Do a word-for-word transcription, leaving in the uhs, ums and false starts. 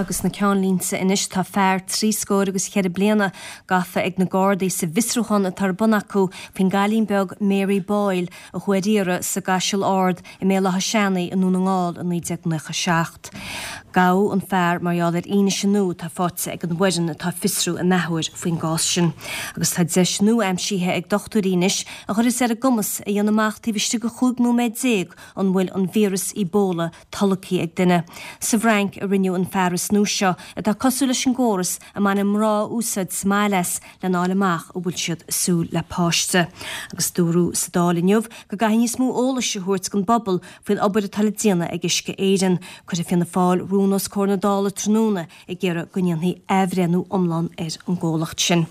Agus na ceannlínte anois tá fear trí scór agus ceithre bliana gafa ag na Gardaí sa bhfiosrúchán atá ar bun acu faoin gcailín beag Mary Boyle a chuaigh ar iarraidh sa gCaiseal Ard i mBéal Átha Seanaidh i nDún na nGall i naoi déag nócha seacht. Gabhadh an fear mar gheall ar fhianaise nua atá faighte ag an bhfoireann atá ag fiosrú an athuair faoin gcás sin. Agus tá deis nua aimsithe ag dochtúirí anois a chuirfeas ar a gcumas a dhéanamh amach taobh istigh de chúig nóiméad déag an bhfuil an víreas Ebola tolgtha ag duine. Sa bhFrainc a rinneadh an fearas nua seo atá cosúil leis an gcóras a mbaineann mná úsáid sa mbaile as lena fháil amach an bhfuil siad ag súil le páiste. Agus dúradh sa Dáil inniu go gcaithfidh níos mó eolais a thabhairt don bpobal faoin obair atá le déanamh ag Uisce Éireann. Cuirfidh Fianna Fáil rún os comhair na Dála tráthnóna ag iarraidh go ndéanfaí athbhreithniú iomlán ar an gcomhlacht sin.